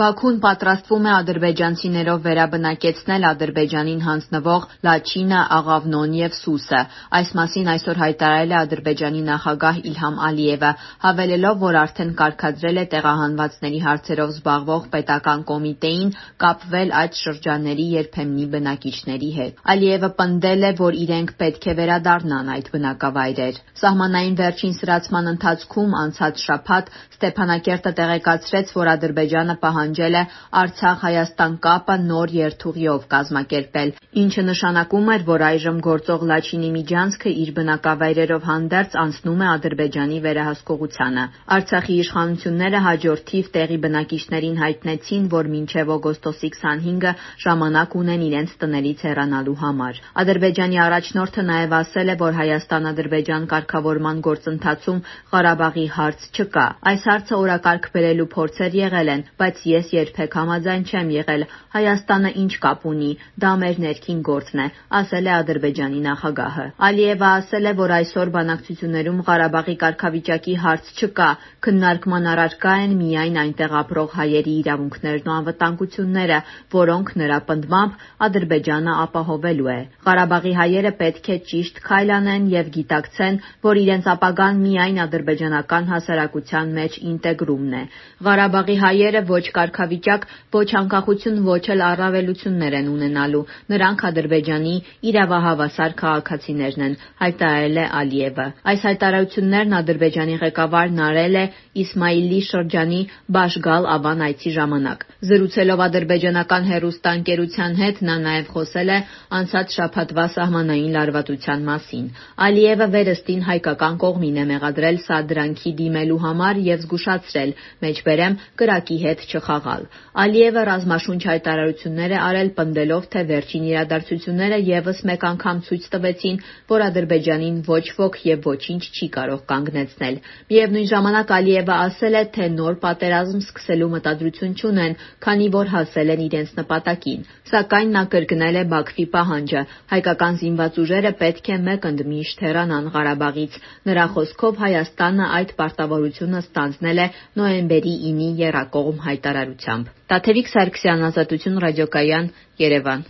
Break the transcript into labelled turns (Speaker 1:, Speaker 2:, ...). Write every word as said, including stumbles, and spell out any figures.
Speaker 1: Բաքուն պատրաստվում է ադրբեջանցիներով վերաբնակեցնել Ադրբեջանին հանձնվող Լաչինը, Աղավնոն և Սուսը։ Այս մասին այսօր հայտարարել է Ադրբեջանի նախագահ Իլհամ Ալիևը, հավելելով, որ արդեն կարգադրել է տեղահանվածների հարցերով զբաղվող պետական կոմիտեին կապվել այդ շրջանների երբեմնի բնակիչների հետ։ Ալիևը պնդել է, որ իրենք պետք է վերադառնան այդ բնակավայրեր։ Սահմանային վերջին սրացման ընթացքում անցած շաբաթ Ստեփանակերտը տեղեկացրեց, որ Ադրբեջանը պահանջել է Արցախ-Հայաստան կապը նոր երթուղիով կազմակերպել, ինչը նշանակում էր, որ այժմ գործող Լաչինի միջանցքը իր բնակավայրերով հանդերձ անցնում է Ադրբեջանի վերահսկողությանը։ Արցախի իշխանությունները հաջորդիվ տեղի բնակիչներին հայտնեցին, որ մինչև օգոստոսի քսանհինգը ժամանակ ունեն իրենց տներից հեռանալու համար։ Ադրբեջանի առաջնորդը նաև ասել է, որ Հայաստան-Ադրբեջան կարգավորման գործընթացում Ղարաբաղի հարց չկա։ Այս հարցը օրակարգ բերելու փորձեր եղել են, բայց ես երբեք համաձայն չեմ եղել։ Հայաստանը ինչ կապ ունի, դա մեր ներքին գործն է, ասել է Ադրբեջանի նախագահը։ Ալիևը ասել է, որ այսօր բանակցություններում Ղարաբաղի կարգավիճակի հարց չկա, քննարկման առարկա են միայն այնտեղ ապրող հայերի իրավունքներն ու անվտանգությունները, որոնք նրա պնդմամբ Ադրբեջանը ապահովելու է։ Ղարաբաղի հայերը պետք է ճիշտ քայլ անեն և գիտակցեն, որ իրենց ապագան միայն ադրբեջանական հասարակության մեջ ինտեգրումն է։ Ղարաբաղի հայերը ոչ կարգավիճակ, ոչ անկախություն, ոչ էլ առավելություններ են ունենալու։ Նրանք Ադրբեջանի իրավահավասար քաղաքացիներն են, հայտարարել է Ալիևը։ Այս հայտարարություններն Ադրբեջանի ղեկավարն արել է Իսմայիլի շրջանի Բաշգալ Ավան այցի ժամանակ։ Զրուցելով ադրբեջանական հեռուստաընկերության հետ նա նաև խոսել է անցած շաբաթվա սահմանային լարվածության մասին։ Ալիևը վերստին հայկական կողմին է մեղադրել սադրանքի դիմելու համար և զգուշացրել, մեջբերեմ, կրակի հետ չխաղալ։ Ալիևը ռազմաշունչ հայտարարություններ է արել, պնդելով, թե վերջին իրադարձությունները ևս մեկ անգամ ցույց տվեցին, որ Ադրբեջանին ոչ ոք և ոչինչ չի կարող կանգնեցնել։ Միևնույն ժամանակ Ալիևը ասել է, թե նոր պատերազմ սկսելու մտադրություն չունեն, քանի որ հասել են իրենց նպատակին։ Սակայն նա կրկնել է Բաքվի պահանջը՝ հայկական զինված ուժերը պետք է մեկընդմիշտ հեռանան Ղարաբաղից։ Նրա խոսքով Հայաստանը այդ պարտավորությունը ստանձնել է նոյեմբերի ինի եռակողմ հայտարարությամբ։ Տաթևիկ Սարգսյան, Ազատություն ռադիոկայան, Երևան։